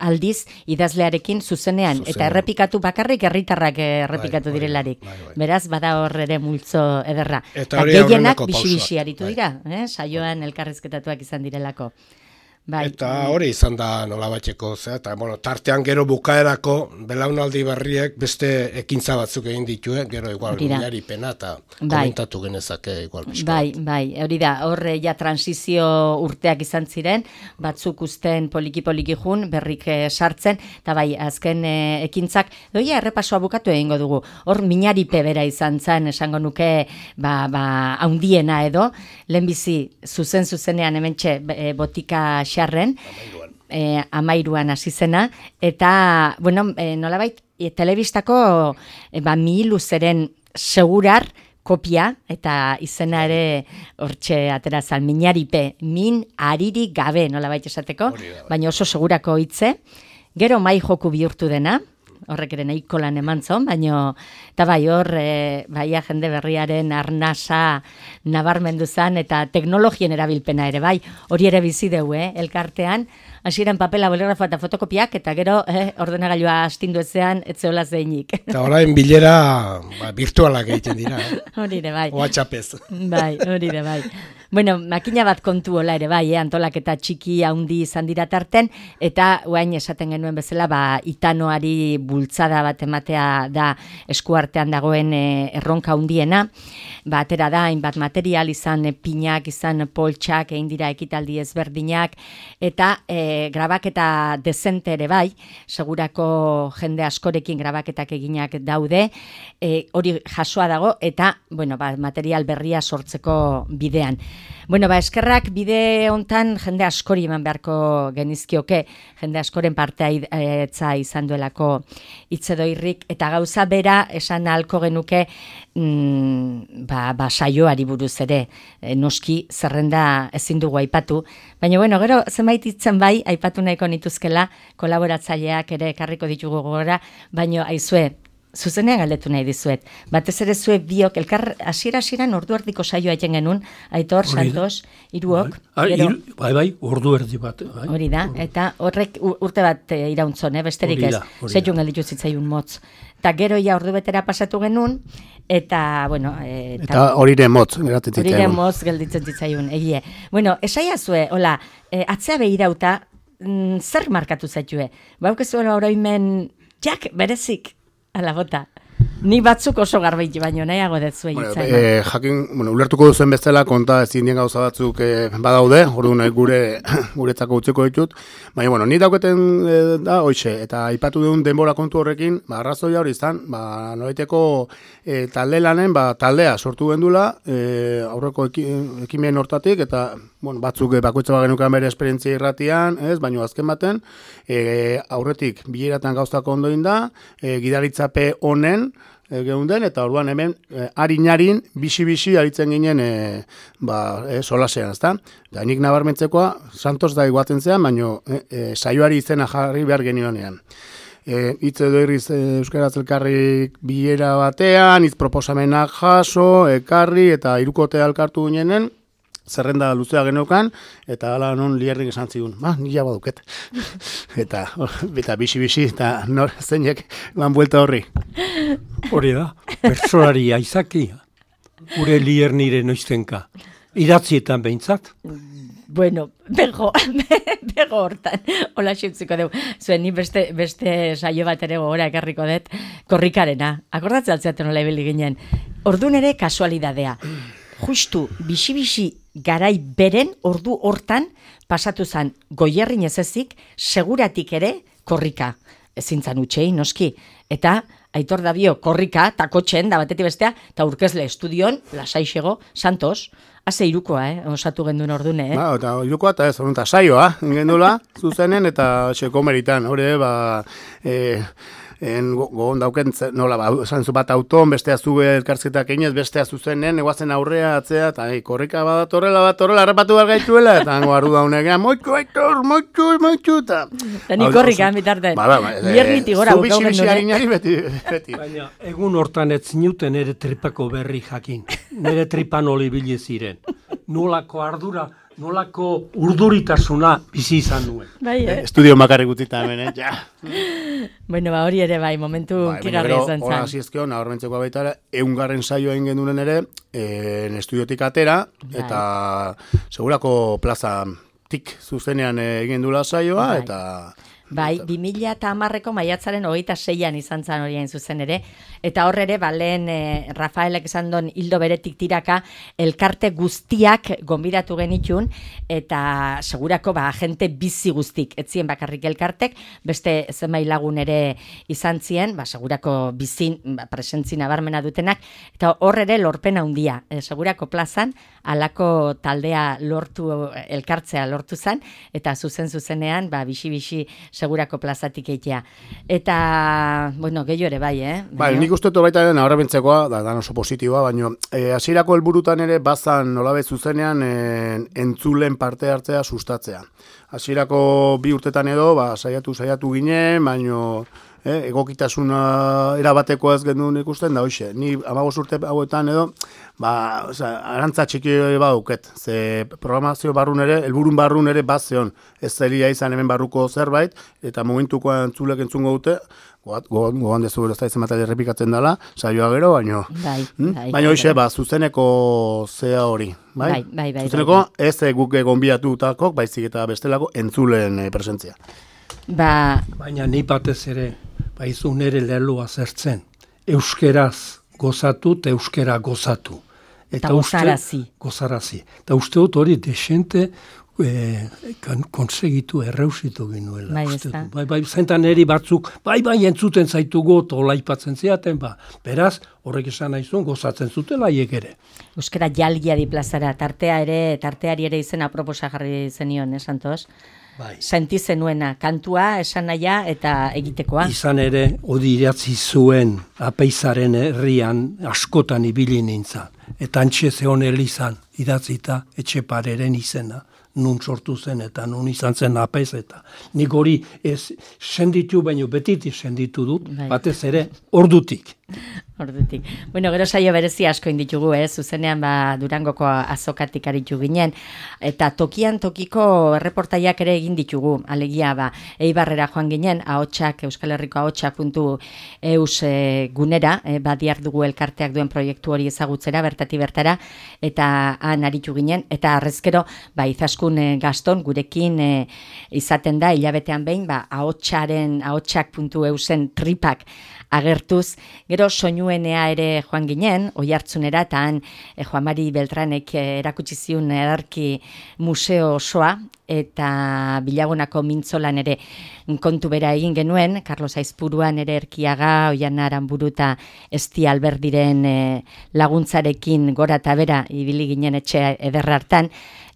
Speaker 1: aldiz idazlearekin zuzenean, eta errepikatu bakarrik herritarrak errepikatu direlarik. Beraz, bada hor ere multzo ederra. Eta gehienak bixi-bixi aritu dira, saioan elkarrizketatuak izan direlako.
Speaker 2: Eta hori izan da nolabaiteko, eta tartean gero bukaerako belaunaldi berriek beste ekintza batzuk egin ditue, gero igual minari pena eta komentatu genezake igual bizko.
Speaker 1: Bai, hori da, horre ja transizio urteak izan ziren, batzuk usten poliki jun, berrik sartzen, eta bai, azken ekintzak, doia errepasoa bukatu egingo dugu, hor minari pebera izan zen, esango nuke, haundiena edo, lehenbizi zuzenean hementxe botika xarren, 13an hasi zena, eta, nolabait, telebistako Mihiluzeren segurar kopia, eta izena ere hortxe aterazan, minaripe, min aririk gabe, nolabait esateko, baina oso segurako hitze, gero mai joku bihurtu dena, horrek ere nahiko lan eman zon, baina, eta bai hor, jende berriaren arnasa nabarmendu zen, eta teknologien erabilpena ere, bai, hori ere bizi deu, elkartean, hasieran papela, boligrafoa eta fotokopiak, eta gero ordenagailua astindu ezean, etzeola zeinik.
Speaker 2: Eta orain bilera virtualak egiten dira.
Speaker 1: Hori ere, bai.
Speaker 2: WhatsAppez.
Speaker 1: Bai, hori ere, bai. Makina bat kontu hola ere, bai, antolaketa txiki handi izan dira tarten, eta guain esaten genuen bezala, itanoari bultzada bat ematea da eskuartean dagoen erronka handiena, atera da, hainbat material izan pinak, izan poltsak, egin dira ekitaldi ezberdinak, eta grabaketa dezente ere bai, segurako jende askorekin grabaketak eginak daude, hori jasoa dago, eta, material berria sortzeko bidean. Eskerrak bide hontan jende askori eman beharko genizkioke, jende askoren parteitza izan duelako Itzedoirrik, eta gauza bera esan ahalko genuke saioari buruz ere, noski zerrenda ezin dugu aipatu, baina gero zenbait hitzen bai aipatu nahiko nituzkela, kolaboratzaileak ere ekarriko ditugu gogora, baina aizue, zuzenean galdetu nahi dizuet. Batez ere zuek biok, elkar hasiera-hasieran ordu erdiko saioa egiten genuen, Aitor, Santos, hiruok.
Speaker 3: Bai, ordu erdi bat.
Speaker 1: Hori da, eta horrek urte bat irauntzon, besterik ez, zeiun galditu zitzaiun motz. Eta gero ja ordu betera pasatu genuen, eta,
Speaker 7: eta horire motz, geratzen zitzaiun.
Speaker 1: Horire motz gelditzen zitzaiun, egie. Esaia zue, hola, atzea behirauta, zer markatu zaitue? Baukezu oroimen, jak, berezik, ala bota. Ni batzuk oso garbait baino nahiago dezue hitzen.
Speaker 7: Jakin, ulertuko duzen bezala konta ezin dien gauza batzuk badaude, orduan guretzako utzeko ditut. Baina, ni dauketen da, hoxe, eta aipatu duen denbora kontu horrekin, arrazoia hori izan, nolaiteko talde lanen, taldea sortu gendula, aurreko ekimen hortatik, eta batzuk bakoitza bagenukan bere esperientzia irratian, baina azken baten, aurretik bileratan gauztako ondoin da, gidaritzape honen, geunden, eta orduan hemen harin bisi aritzen ginen solasean, ezta? Da nik nabarmentzekoa, Santos da iguatzen zean, baina saioari izena jarri behar genionean. Hitz edo irriz Euskaraz elkarri bilera batean, hitz proposamenak jaso, ekarri, eta hirukotea elkartu ginenen, zerrenda luzea geneukan, eta ala non lierrik esan zigun, nila baduket. eta bisi, eta nor zeinek lan buelta horri.
Speaker 3: Hori da, persolari aizaki, gure lier nire noiztenka. Idatzietan behintzat?
Speaker 1: Bueno, bego hortan, hola xintziko dugu. Zuen, ni beste saio bat ere gogora ekarriko dut, korrikarena. Akordatzen altzeaten hola ibili ginen. Ordun ere kasualidadea. Justu, bisi garai beren ordu hortan pasatu zen Goierrin ez ezik, seguratik ere korrika. Ezintzan utxei, noski. Eta Aitor Dabio korrika, takotxen, da batetik bestea, eta urkezle estudion, lasaixego, Santos, haze irukoa, osatu genduen ordune,
Speaker 7: Eta irukoa, eta ez, eta saioa, gendula, zuzenen, eta komeritan, hori, gogon dauken, nola, esan zu bat auton, bestea zu elkarzketak einez, bestea zuzenen, eguazen aurrea, atzea, eta korrika badatorrela, harrapatu behar gaituela, eta hango ardu daunean, moitxu, eta...
Speaker 1: Eta ni korrika, bitarte, hiermiti gora,
Speaker 7: zu bisi harinari beti.
Speaker 3: Baina, egun hortan ez zinuten nire tripako berri jakin, nire tripan oli ziren, nolako ardura, nolako urduritasuna bizi izan nuen.
Speaker 7: Estudio makarrik utzita hemen, ja.
Speaker 1: Bueno, hori ere bai, momentu kigarri izan zan.
Speaker 7: Hora ziezkeo, nabarmentzeko baita, 100. saioa egin genuen ere, estudiotik atera, eta segurako plazatik zuzenean egin dula saioa, eta...
Speaker 1: Bai, 2010ko maiatzaren 26an izan zan hori hain zuzen ere, eta horre ere, lehen Rafaelek esan don hildo beretik tiraka, elkarte guztiak gonbidatu genitun, eta segurako agente bizi guztik, etzien bakarrik elkartek, beste zenbait lagun ere izan zien, segurako bizin, presentzia nabarmena dutenak, eta horre ere lorpena handia, segurako plazan, alako taldea elkartzea lortu zan, eta zuzenean, bisi segurako plazatik eitea. Eta, bueno, gehiago ere bai,
Speaker 7: Bai, nik uste baita ere nabarmentzekoa, da oso positiboa, baina hasierako helburutan ere bazan nolabe zuzenean entzulen parte hartzea sustatzea. Hasierako 2 urtetan edo, saiatu ginen, baina egokitasuna erabateko ez genuen ikusten da hoxe. Ni 15 urte hauetan edo, arantza txiki baduket. Ze programazio barrun ere, helburun barrun ere bazeon. Ez zelia izan hemen barruko zerbait, eta momentuko entzulek entzungo dute, gogan dezu gero ez da izan bat errepikatzen dela, saioa gero, baino. Baina hoxe, zuzeneko zea hori. Bai. Zuzeneko ez guk gonbiatutakok, baizik eta bestelako entzulen presentzia.
Speaker 3: Baina ni batez ere, baizu nere leloa zertzen, euskeraz gozatu eta euskera gozatu.
Speaker 1: Eta gozarazi.
Speaker 3: Eta uste dut hori desente konsegitu erreusitu ginuela. Bai, zentan eri batzuk, bai, entzuten zaitugu, tola ipatzen ziaten, beraz, horrek esan nahizun, gozatzen zutela hiek ere.
Speaker 1: Euskera jalgiari plazara, tarteari ere izena proposa jarri zenion, Santos? Senti zenuena, kantua, esan nahia eta egitekoa.
Speaker 3: Izan ere, odi idatzi zuen apeizaren herrian askotan ibili nintzen. Eta antxe zeon elizan idatzita etxepareren izena. Nun sortu zen eta nun izan zen apeiz eta. Nik hori ez senditu, baino betitik senditu dut, batez ere, ordutik.
Speaker 1: Bueno, gero saio berezi asko inditugu, zuzenean Durangoko azokatik aritu ginen, eta tokian tokiko erreportaiak ere egin ditugu, alegia Eibarrera joan ginen, Euskal Herriko ahotsak.eus gunera, badiar dugu elkarteak duen proiektu hori ezagutzera, bertati bertara, eta han aritu ginen, eta arrezkero, Izaskun Gaston gurekin izaten da, hilabetean behin, ahotsak.eusen tripak agertuz. Gero soinuenea ere joan ginen, Oiartzunera, eta han Juan Mari Beltranek erakutsi ziun ederki museo osoa, eta Bilagunako mintzolan ere kontu bera egin genuen, Carlos Aizpuruan ere Erkiaga, Oiana Aranburu eta Esti Alberdiren laguntzarekin gora eta bera ibili ginen etxe ederra hartan.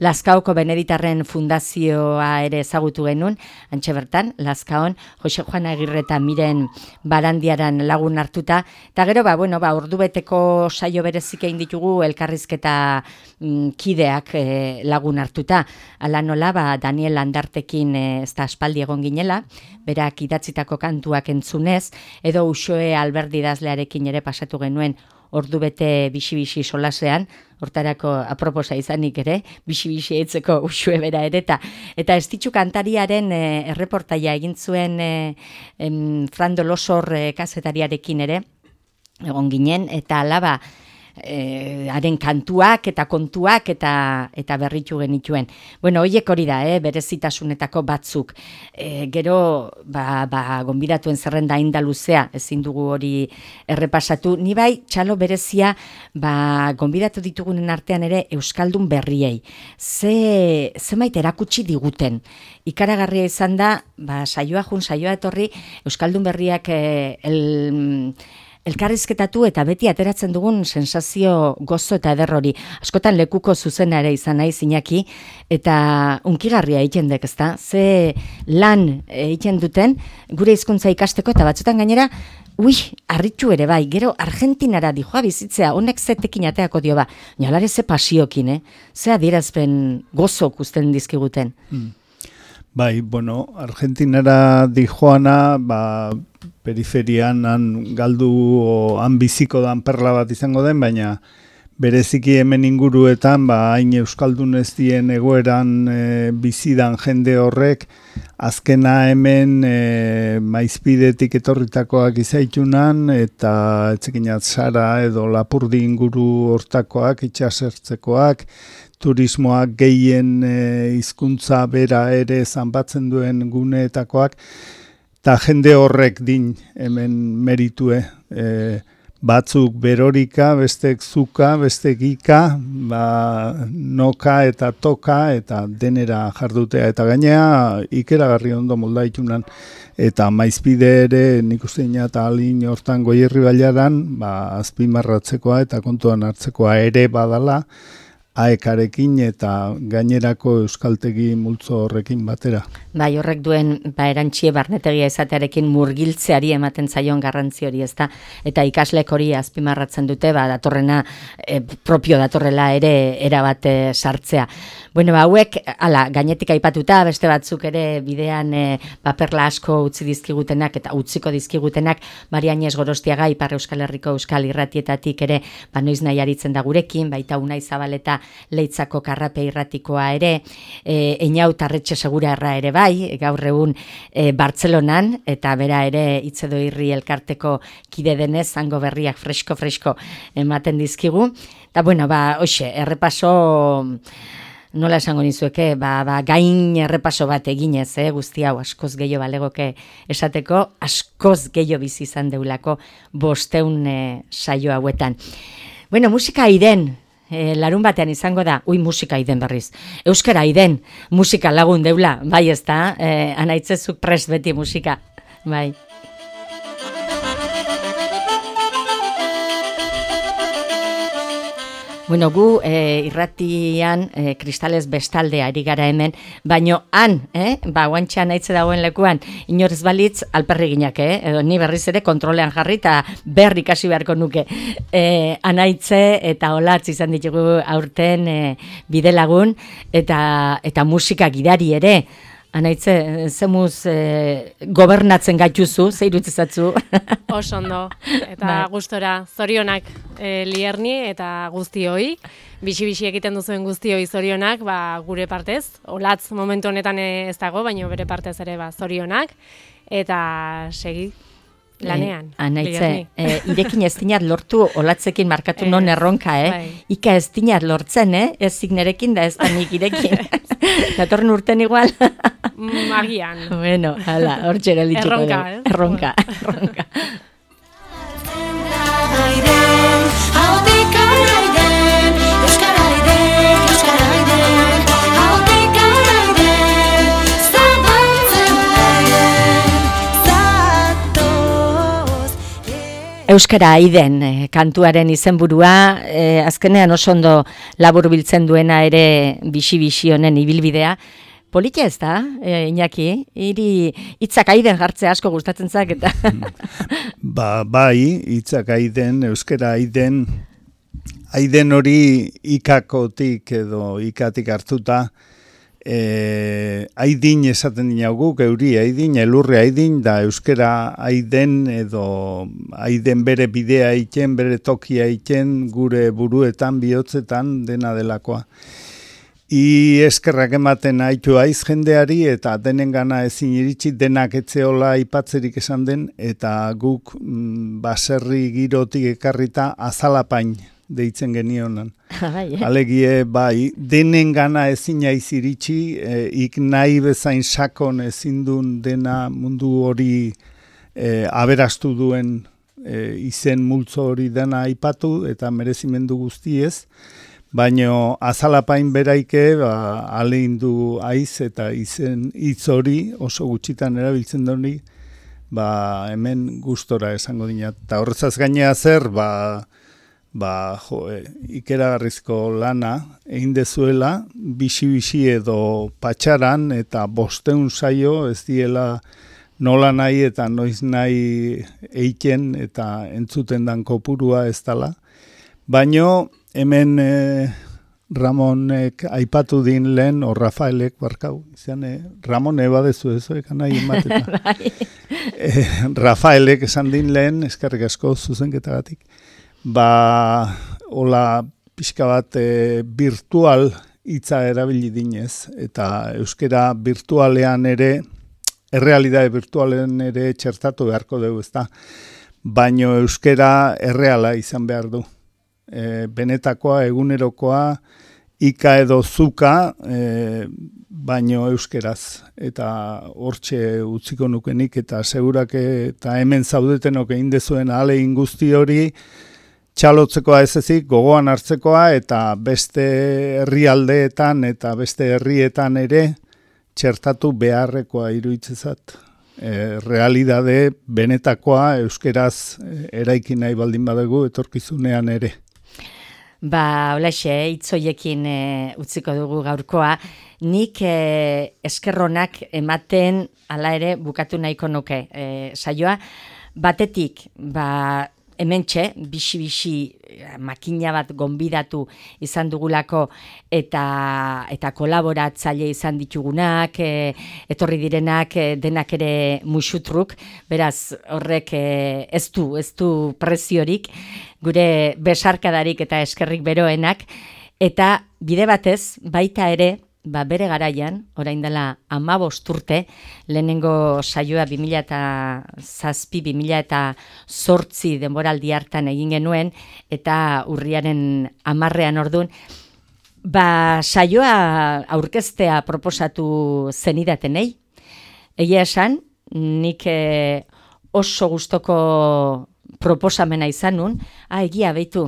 Speaker 1: Lazkaoko Beneditarren fundazioa ere ezagutu genuen, antxe bertan, Lazkaon, Jose Juan Agirre eta Miren Barandiaran lagun hartuta, eta gero, ordubeteko saio berezik egin ditugu elkarrizketa kideak lagun hartuta. Ala nola, Daniel Landartekin ez da aspaldi egon ginela, berak idatzitako kantuak entzunez, edo Uxoe Alberdi idazlearekin ere pasatu genuen ordubete bixi-bixi solasean, hortarako aproposa izanik ere, bixi-bixi eitzeko Uxue bera ere, eta Estitxu kantariaren erreportaia egin zuen Frando Losor kazetariarekin ere, egon ginen, eta alaba, haren kantuak eta kontuak eta berritu genituen. Horiek hori da, berezitasunetako batzuk. Gero, gonbidatuen zerrenda inda luzea, ezin dugu hori errepasatu. Ni bai, txalo berezia, gonbidatu ditugunen artean ere Euskaldun berriei. Zemait erakutsi diguten. Ikaragarria izan da, saioa etorri, Euskaldun berriak elkarrizketatu eta beti ateratzen dugun sensazio gozo eta eder hori. Askotan lekuko zuzena ere izan nahi Iñaki, eta unkigarria egiten dek, ezta? Ze lan egiten duten gure hizkuntza ikasteko, eta batzutan gainera, harritu ere bai, gero Argentinara dijoa bizitzea, honek zetekin ateako dio nolare ze pasiokin, ze adierazpen gozo kusten dizkiguten.
Speaker 6: Bai, Argentinara dijoana, periferian galdu han biziko dan perla bat izango den, baina bereziki hemen inguruetan, hain Euskaldun ez dien egoeran bizidan jende horrek, azkena hemen Maizpidetik etorritakoak izaitunan, eta etzekinat Sara edo Lapurdi inguru hortakoak, itxasertzekoak, turismoak gehien hizkuntza bera ere zanbatzen duen guneetakoak, eta jende horrek din hemen meritue, batzuk berorika, bestek zuka, bestek ika, noka eta toka, eta denera jardutea, eta gainea ikeragarri ondo moldaitunan, eta Maizpide ere nik uste eta alin hortan Goierri Bailaran, azpimarratzekoa eta kontuan hartzekoa ere badala, aekarekin eta gainerako euskaltegi multzo horrekin batera.
Speaker 1: Bai, horrek duen erantxie barnetegia izatearekin murgiltzeari ematen zaion garrantzi hori, ezta? Eta ikaslek hori azpimarratzen dute, datorrena propio datorrela ere erabat sartzea. Hauek, gainetik aipatuta, beste batzuk ere bidean paperla asko utzi dizkigutenak eta utziko dizkigutenak, Marianez Gorostiaga, Ipar Euskal Herriko Euskal Irratietatik ere, noiz nahi aritzen da gurekin, baita Unai Zabaleta Leitzako Karrape Irratikoa ere, Einau Tarretxe Segurarra ere bai, gaur egun Bartzelonan, eta bera ere Itzedo Irri elkarteko kide denez, zango berriak fresko ematen dizkigu. Eta hoxe, errepaso, nola esango nizueke, gain errepaso bat eginez, guzti hau askoz gehiago balegoke esateko, askoz gehiago bizi izan deulako 500 saio hauetan. Musika aiden, larun batean izango da, musika aiden berriz. Euskara aiden, musika lagun deula, bai ez da, anaitzezuk prest beti musika, bai. Gu irratian kristales bestalde ari gara hemen, baino han, guantxean aitze dagoen lekuan, inorez balitz alperriginak, edo ni berriz ere kontrolean jarri eta berri kasi beharko nuke. Anaitze eta olatz izan ditugu aurten bidelagun eta musika gidari ere. Anaitze, zemuz gobernatzen gaituzu, zeirutizatzu?
Speaker 8: Oso ondo, eta gustora, zorionak Lierni eta guztioi, bixi-bixi egiten duzuen guztioi zorionak, gure partez, olatz momentu honetan ez dago, baina bere partez ere zorionak, eta segi lanean.
Speaker 1: Anaitze, irekin ez dinat lortu olatzekin markatu non erronka, Ika ez dinat lortzen, ez zignerekin da ez da nik irekin. Datorren urten igual.
Speaker 8: Agian.
Speaker 1: Hor txera litxuko.
Speaker 8: Erronka,
Speaker 1: Erronka. Euskara aiden kantuaren izenburua, azkenean oso ondo laburbiltzen duena ere bixi honen ibilbidea. Politia ez da, Iñaki, hitzak aiden jartzea asko gustatzen zak eta...
Speaker 6: Bai, hitzak aiden, euskara aiden hori ikakotik edo ikatik hartuta, aidin esaten dinagu, euri aidin, elurre aidin, da euskara aiden edo aiden bere bidea egiten, bere tokia egiten, gure buruetan, bihotzetan, dena delakoa. Eskerrak ematen haitu aiz jendeari eta denen gana ezin iritsi denak etzeola aipatzerik esan den eta guk baserri girotik ekarrita azalapain deitzen genionan. Alegie bai, denen gana ezin aiz iritsi, ik nahi bezain sakon ezin duen dena mundu hori aberastu duen izen multzo hori dena aipatu eta merezimendu guztiez. Baina azalapain beraike aleindu aiz eta izen hitz hori oso gutxitan erabiltzen doni hemen gustora esango dina. Eta horrezaz gainea zer, ikeragarrizko lana egin dezuela, bixi edo patxaran eta 500 saio ez diela nola nahi eta noiz nahi eiken eta entzuten dan kopurua ez dala. Baina hemen Ramonek aipatu din lehen, o Rafaelek barkau, izan Ramon badezu ez, nahi emateta. Rafaelek esan din lehen, eskerrik asko zuzenketagatik, hola pixka bat virtual hitza erabili dinez, eta euskera virtualean ere, errealidade virtualen ere txertatu beharko dugu, ezta? Baina euskera erreala izan behar du. Benetakoa, egunerokoa, ika edo zuka, baino euskeraz. Eta hortxe utziko nukenik, eta segurak eta hemen zaudetenok egin dezuen ahalegin guzti hori, txalotzekoa ez ezik, gogoan hartzekoa, eta beste herrialdeetan eta beste herrietan ere txertatu beharrekoa iruditzezat. Realidade benetakoa euskeraz eraiki nahi baldin badugu etorkizunean ere.
Speaker 1: Olaxe, hitzoiekin utziko dugu gaurkoa. Nik eskerronak ematen hala ere bukatu nahiko nuke saioa. Batetik, hementxe, bixi makina bat gonbidatu izan dugulako eta kolaboratzaile izan ditugunak, etorri direnak denak ere musutruk, beraz horrek ez du preziorik, gure besarkadarik eta eskerrik beroenak, eta bide batez baita ere, bere garaian, orain dela 15 urte, lehenengo saioa 2007-2008 denboraldi hartan egin genuen, eta urriaren 10ean ordun, saioa aurkeztea proposatu zenidatenei. Egia esan, nik oso gustoko proposamena izan nun, egia behitu,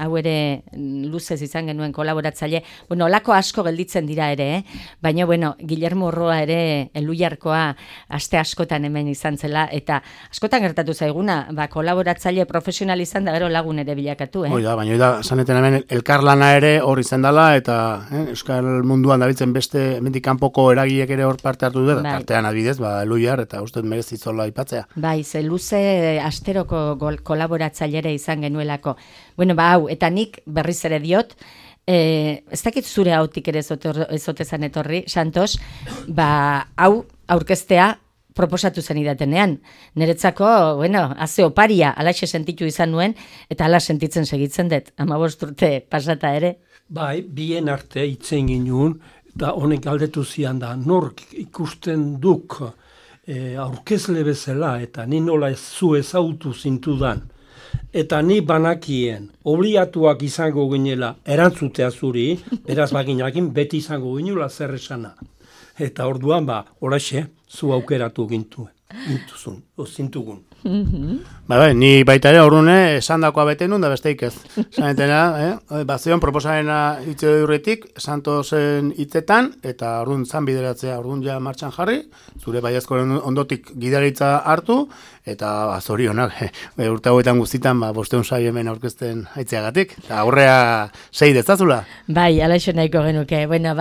Speaker 1: hau ere luzez izan genuen kolaboratzaile, olako asko gelditzen dira ere, baina, Guillermo Urroa ere Eluiarkoa aste askotan hemen izan zela, eta askotan gertatu zaiguna, kolaboratzaile profesional izan da gero lagun ere bilakatu.
Speaker 7: Baina, saneten hemen elkarlana ere hor izan dela, eta Euskal munduan dabitzen beste mendik kanpoko eragiek ere hor parte hartu dut, artean adibidez, Eluiar, eta uste merezitzola aipatzea.
Speaker 1: Ze luze asteroko kolaboratzailere izan genuelako. Hau, eta nik berriz ere diot, ez dakit zure hautik ere ezotezan etorri, Santos, hau aurkeztea proposatu zen idatenean. Niretzako, haze oparia, alaxe sentitu izan nuen, eta ala sentitzen segitzen dut, 15 urte pasata ere.
Speaker 3: Bien arte itzen ginuen, da honek galdetu zian da, nork ikusten duk aurkezle bezala, eta ni nola zu ezautu zintudan, eta ni banakien obliatuak izango ginela erantzutea zuri, beraz baginakin beti izango ginula zer esana. Eta orduan, horaxe, zu aukeratu zintugun.
Speaker 7: Ni baita ere orduan esan dakoa bete nun da besteik ez. Zanetena, zion proposamena hitze durretik, Santosen hitzetan, eta orduan zan bideratzea, orduan ja martxan jarri, zure baiazkoren ondotik gidaritza hartu, eta zorionak, urte hauetan guztitan, 500 saio hemen aurkezten aitzeagatik, eta aurrea 6 dezazula.
Speaker 1: Bai, alaixo nahiko genuke, bueno,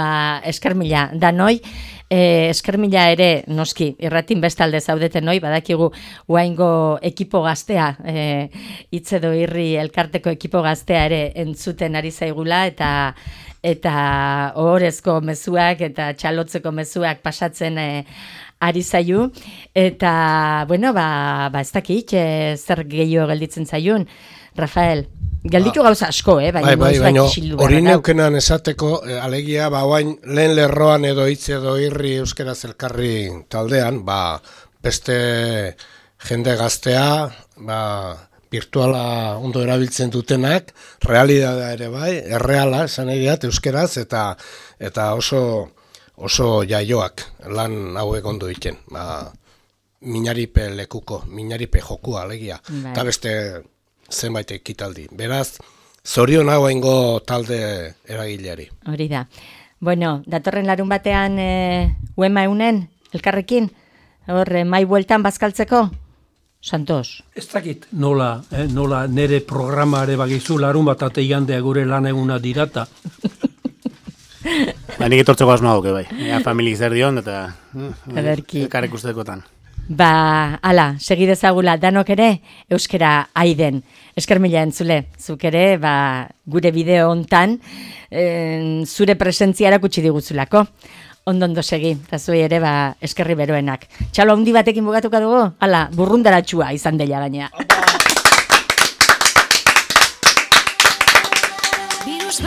Speaker 1: esker mila, danoi, esker mila ere, noski, irratin bestalde zaudeten noi, badakigu uaingo ekipo gaztea, Itzedo Irri elkarteko ekipo gaztea ere entzuten ari zaigula, eta ohorezko mezuak eta txalotzeko mezuak pasatzen ari zaiu, eta, bueno, ez dakit, zer gehiago gelditzen zaiun, Rafael, gelditu gauza asko, baina
Speaker 2: hori neukenan esateko, alegia, oain lehen lerroan edo Itzedo Irri Euskaraz Elkarri taldean, beste jende gaztea, virtuala ondo erabiltzen dutenak, realidadea ere bai, erreala, esan egiat, euskeraz, eta oso jaioak lan hauek ondo egiten. Minaripe lekuko, minaripe jokua, alegia. Eta beste zenbait ekitaldi. Beraz, zorion hau eingo talde eragileari.
Speaker 1: Hori da. Bueno, datorren larun batean uema eunen, elkarrekin, hor, mai bueltan bazkaltzeko? Santos.
Speaker 3: Ez dakit nola nere programare bagizu larun bat ate igandea gure lan eguna dirata.
Speaker 7: Nik etortzeko asmoa duke bai. Familik zer dion eta elkarrek ustekotan.
Speaker 1: Ala, segidezagula danok ere euskera aiden. Esker mila entzule, zuk ere gure bideo hontan zure presentzia erakutsi diguzulako. Ondo segi, eta zuei ere eskerri beroenak. Txalo handi batekin bugatuka dugu? Hala, burrundaratxua izan dela gaina. Virus